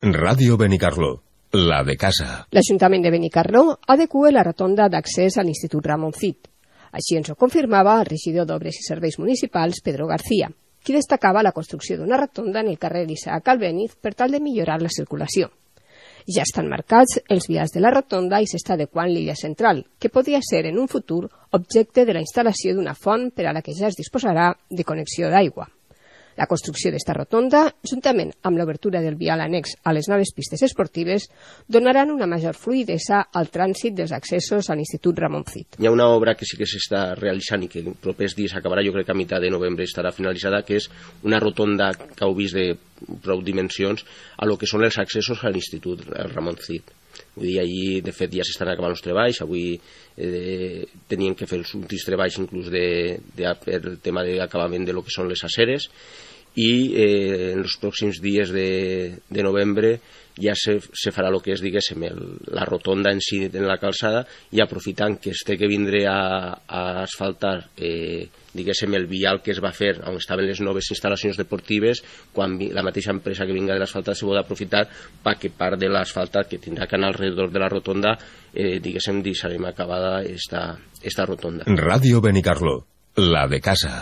Ràdio Benicarló, la de casa. L'Ajuntament de Benicarló adequa la rotonda d'accés a l'Institut Ramon Cid. Així ens ho confirmava el regidor d'Obres i Serveis Municipals, Pedro García, qui destacava la construcció d'una rotonda en el carrer Isaac Albéniz per tal de millorar la circulació. Ja estan marcats els vials de la rotonda i s'està adequant l'illa central, que podria ser en un futur objecte de la instal·lació d'una font per a la que ja es disposarà de connexió d'aigua. La construcció d'esta rotonda, juntament amb l'obertura del vial annex a les noves pistes esportives, donaran una major fluïdesa al trànsit dels accessos a l'Institut Ramon Cid. Hi ha una obra que sí que s'està realitzant i que en propers dies acabarà, jo crec que a mitjà de novembre estarà finalitzada, que és una rotonda que heu vist de prou dimensions a lo que són els accessos a l'Institut Ramon Cid. Vull dir, allí, de fet, ja s'estan acabant els treballs. Avui tenien que fer els últims treballs inclús per el tema d'acabament de lo que són les aceres, i en els pròxims dies de novembre ja se farà el que és, diguéssim, la rotonda en si en la calçada, i aprofitant que es té que vindre a asfaltar diguéssim el vial que es va fer on estaven les noves instal·lacions deportives, quan la mateixa empresa que vinga de l'asfaltat se pot aprofitar perquè part de l'asfaltat que tindrà que anar alrededor de la rotonda, diguéssim, deixarem acabada esta rotonda. Ràdio Benicarló, la de casa.